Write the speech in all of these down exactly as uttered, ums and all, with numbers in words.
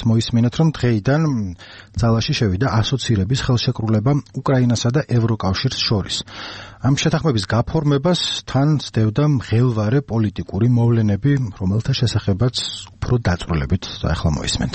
იმასაც მოისმინოთ, რომ დღეიდან ძალაში შევიდა ასოცირების ხელშეკრულება უკრაინასა და ევროკავშირს შორის. ამ შეთანხმების გაფორმებას თან სდევდა მღელვარე პოლიტიკური მოვლენები, რომელთა შესახებაც უფრო დაწვრილებით ახლა მოისმენთ.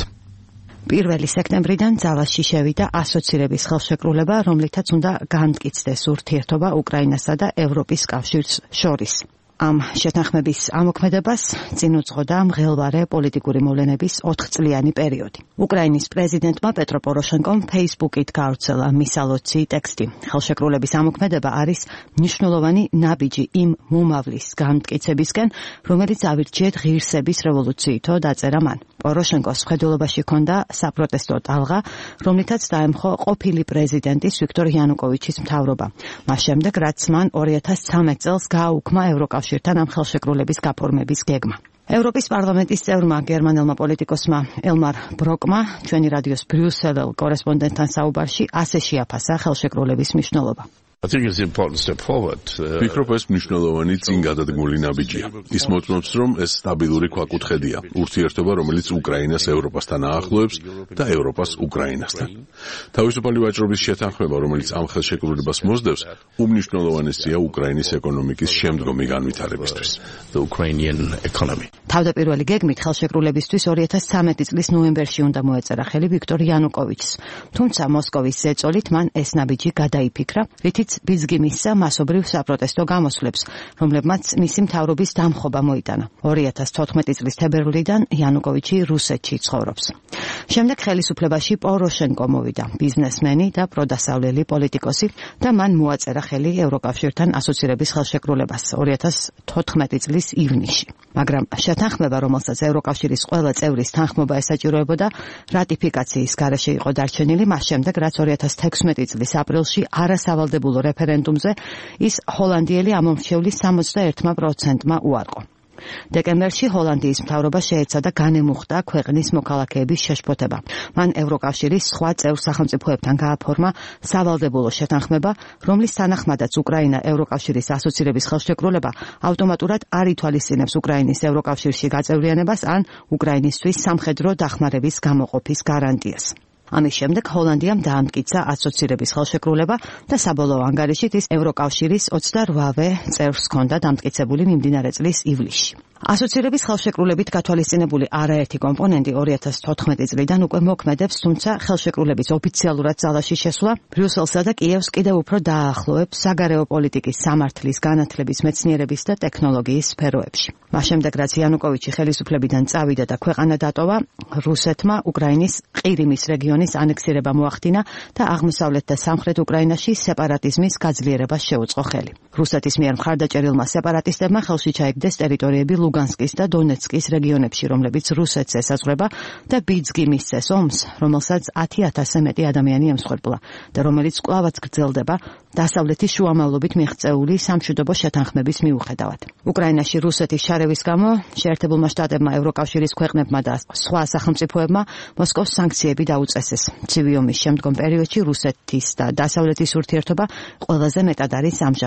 პირველი სექტემბრიდან ძალაში შევიდა ასოცირების ხელშეკრულება, რომლითაც უნდა განმტკიცდეს ურთიერთობა უკრაინასა და ევროპის კავშირს შორის. ამ შეთანხმების ამოქმედებას წინ უძღოდა მღელვარე პოლიტიკური მოვლენების ოთხწლიანი პერიოდი. უკრაინის პრეზიდენტმა პეტრო პოროშენკომ Facebook-ით გაავრცელა მისალოცი ტექსტი. ხელშეკრულების ამოქმედება არის მნიშვნელოვანი ნაბიჯი იმ მომავლის განმტკიცებისკენ, რომელიც ავირჩიეთ ღირსების რევოლუციითო დაწერა მან. პოროშენკოს მხედველობაში ჰქონდა საპროტესტო ტალღა, რომლითაც დაემხო ყოფილი პრეზიდენტის ვიქტორ იანუკოვიჩის მთავრობა. მას შემდეგ, რაც მან ორი ათას ცხრამეტ წელს გააუქმა ევროკავშირთან ამ ხელშეკრულების გაფორმების გეგმა. ევროპის პარლამენტის წევრმა გერმანელმა პოლიტიკოსმა ელმარ ბროკმა ჩვენი რადიოს ბრიუსელელ კორესპონდენტთან საუბარში ასე შეაფასა ხელშეკრულების მნიშვნელობა. ვფიქრობ, ეს მნიშვნელოვანი წინ გადადგმული ნაბიჯია. ის მოწმობს, რომ ეს სტაბილური ქვაკუთხედია, ურთიერთობა, რომელიც უკრაინას ევროპასთან აახლოებს და ევროპას უკრაინასთან. თავისუფალი ვაჭრობის შეთანხმება, რომელიც ამ ხელშეკრულებას მოსდევს, უმნიშვნელოვანესია უკრაინის ეკონომიკის შემდგომი განვითარებისთვის. თავდაპირველი გეგმით ხელშეკრულებისთვის ორი ათას ცხრამეტი წლის ნოემბერში უნდა მოეწერა ხელი ვიქტორ იანუკოვიჩს. თუმცა მოსკოვის ზეწოლით მან ეს ნაბიჯი გადაიფიქრა, რითიც ბიძგი მისცა მასობრივ საპროტესტო გამოსვლებს, რომლებმაც მისი მთავრობის დამხობა მოიტანა. ორი ათას თოთხმეტი წლის თებერვლიდან იანუკოვიჩი რუსეთში ცხოვრობს. შემდეგ ხელისუფლებაში პოროშენკო მოვიდა, ბიზნესმენი და პროდასავლელი პოლიტიკოსი და მან მოაწერა ხელი ევროკავშირთან ასოცირების ხელშეკრულებას ორი ათას თოთხმეტი წლის ივნისში. მაგრამ შეთანხმება, რომელსაც ევროკავშირის ყველა წევრის თანხმობა ესაჭიროებოდა, რატიფიკაციის გარეშე იყო დარჩენილი მას შემდეგ, რაც ორი ათას თექვსმეტი წლის აპრილში არასავალდებულო რეფერენდუმზე ის ჰოლანდიელი ამომრჩევლის სამოცდაერთმა პროცენტმა უარყო. დეკემბერში ჰოლანდიის მთავრობა შეეცადა განემუხტა ქვეყნის მოქალაქეების შეშფოთება. მან ევროკავშირის სხვა წევრ სახელმწიფოებთან გააფორმა სავალდებულო შეთანხმება, რომლის თანახმადაც უკრაინა ევროკავშირის ასოცირების ხელშეკრულება ავტომატურად არ ითვალისწინებს უკრაინის ევროკავშირში გაწევრიანებას ან უკრაინისთვის სამხედრო დახმარების გამოყოფის გარანტიას. ამის შემდეგ ჰოლანდიამ დაამტკიცა ასოცირების ხელშეკრულება და საბოლოო ანგარიშით ის ევროკავშირის ოცდარვავე წევრს ჰქონდა დამტკიცებული მიმდინარე წლის ივლისში. ასოცირების ხელშეკრულებით გათვალისწინებული არაერთი კომპონენტი ორი ათას თოთხმეტი წლიდან უკვე მოქმედებს, თუმცა ხელშეკრულების ოფიციალურად ძალაში შესვლა ბრიუსელსა და კიევს კიდევ უფრო დააახლოებს საგარეო პოლიტიკის სამართლის, განათლების, მეცნიერების და ტექნოლოგიის სფეროებში. მას შემდეგ, რაც იანუკოვიჩი ხელისუფლებიდან წავიდა და ქვეყანა დატოვა, რუსეთმა უკრაინის ყირიმის რეგიონის ანექსირება მოახდინა და აღმოსავლეთ და სამხრეთ უკრაინაში სეპარატიზმის გაძლიერებას შეუწყო ხელი. რუსეთის მიერ მხარდაჭერილმა სეპარატისტებმა ხელში ჩაიგდეს ტერიტორიები ლუგანსკის და დონეცკის რეგიონებში, რომლებიც რუსეთს ესაზღვრება და ბიძგი მისცეს ომს, რომელსაც ათი ათასზე მეტი ადამიანი ემსხვერპლა და რომელიც კვლავაც გრძელდება დასავლეთის შუამავლობით მიღწეული სამშვიდობო შეთანხმების მიუხედავად. უკრაინაში რუსეთის შარევის გამო შეერთებულმა შტატებმა, ევროკავშირის ქვეყნებმა და სხვა სახელმწიფოებმა მოსკოვს სანქციები დაუწესეს. ცივი ომის შემდგომ პერიოდში რუსეთის და დასავლეთის ურთიერთობა ყველაზე მეტად არის ამჟამად